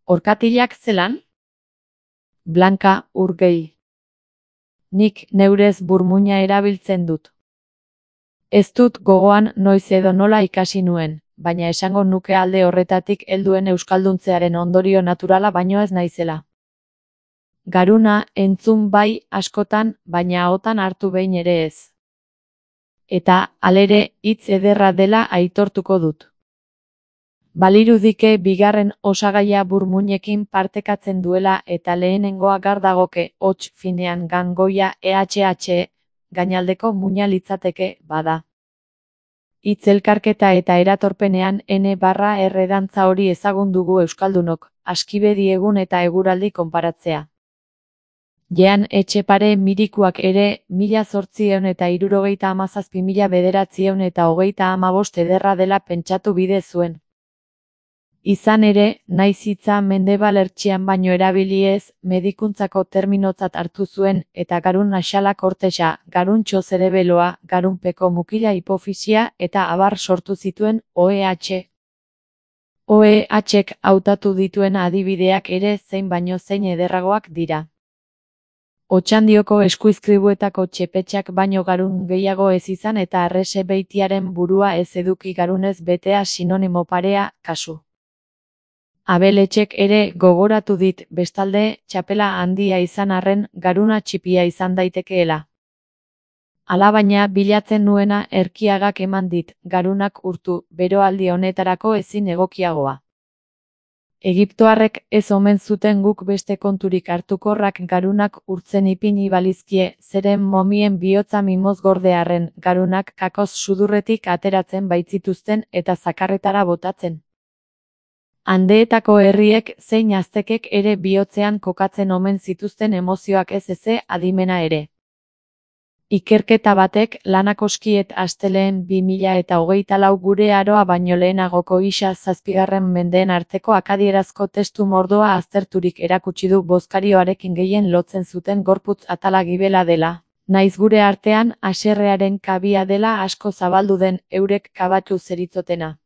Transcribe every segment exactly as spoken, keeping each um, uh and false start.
Orkatilak zelan? Blanka Urgei. Nik neurez burmuina erabiltzen dut. Ez dut gogoan noiz edo nola ikasi nuen, baina esango nuke alde horretatik helduen euskalduntzearen ondorio naturala baino ez naizela. Garuna entzun bai askotan, baina ahotan hartu behin ere ez. Eta, halere, hitz ederra dela aitortuko dut. Balirudike bigarren osagaia burmuinekin partekatzen duela eta lehenengoa gar dagoke hots finean gangoia ehh, gainaldeko muina litzateke, bada. Hitz elkarketa eta eratorpenean N barra R dantza hori ezagun dugu euskaldunok, askibedi egun eta eguraldi konparatzea. Jean Etxepare mirikuak ere, mila zortziehun eta hirurogeita hamazazpi mila bederatziehun eta hogeita hamabost ederra dela pentsatu bide zuen. Izan ere, naiz hitza Mendebal ertxian baino erabili ez, medikuntzako terminotzat hartu zuen, eta garun naxala kortexa, garuntxo zerebeloa, garunpeko mukila hipofisia eta abar sortu zituen O E H. O E H-ek hautatu dituen adibideak ere zein baino zein ederragoak dira. Otxandioko eskuizkribuetako txepetxak baino garun gehiago ez izan eta arrese beitiaren burua ez eduki garunez betea sinonimo parea, kasu. Abeletxek ere gogoratu dit, bestalde, txapela handia izan arren, garuna txipia izan daitekeela. Alabaina bilatzen nuena erkiagak eman dit, garunak urtu, beroaldi honetarako ezin egokiagoa. Egiptoarrek ez omen zuten guk beste konturik hartukorrak garunak urtzen ipini balizkie, zeren momien bihotza mimoz gordearren, garunak kakoz sudurretik ateratzen baitzituzten eta zakarretara botatzen. Andeetako herriek zein aztekek ere bihotzean kokatzen omen zituzten emozioak ez eze adimena ere. Ikerketa batek lanakoskiet asteleen bi mila eta hogeita lau gure aroa baino lehenagoko isa zazpigarren mendeen arteko akadierazko testu mordoa azterturik erakutsi du bozkarioarekin gehien lotzen zuten gorputz atala gibela dela, naiz gure artean haserrearen kabia dela asko zabaldu den eurek kabatu zeritzotena.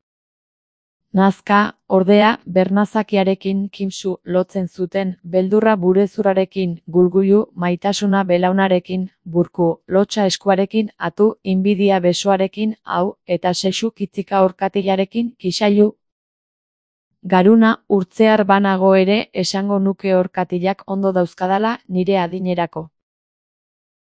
Nazka, ordea, bernazakiarekin kimsu lotzen zuten, beldurra burezurarekin, gulguilu, maitasuna belaunarekin, burku, lotxa eskuarekin, atu, inbidia besoarekin, hau, eta sexu kitzika orkatilarekin, kisailu. Garuna, urtzear banago ere, esango nuke orkatilak ondo dauzkadala, nire adinerako.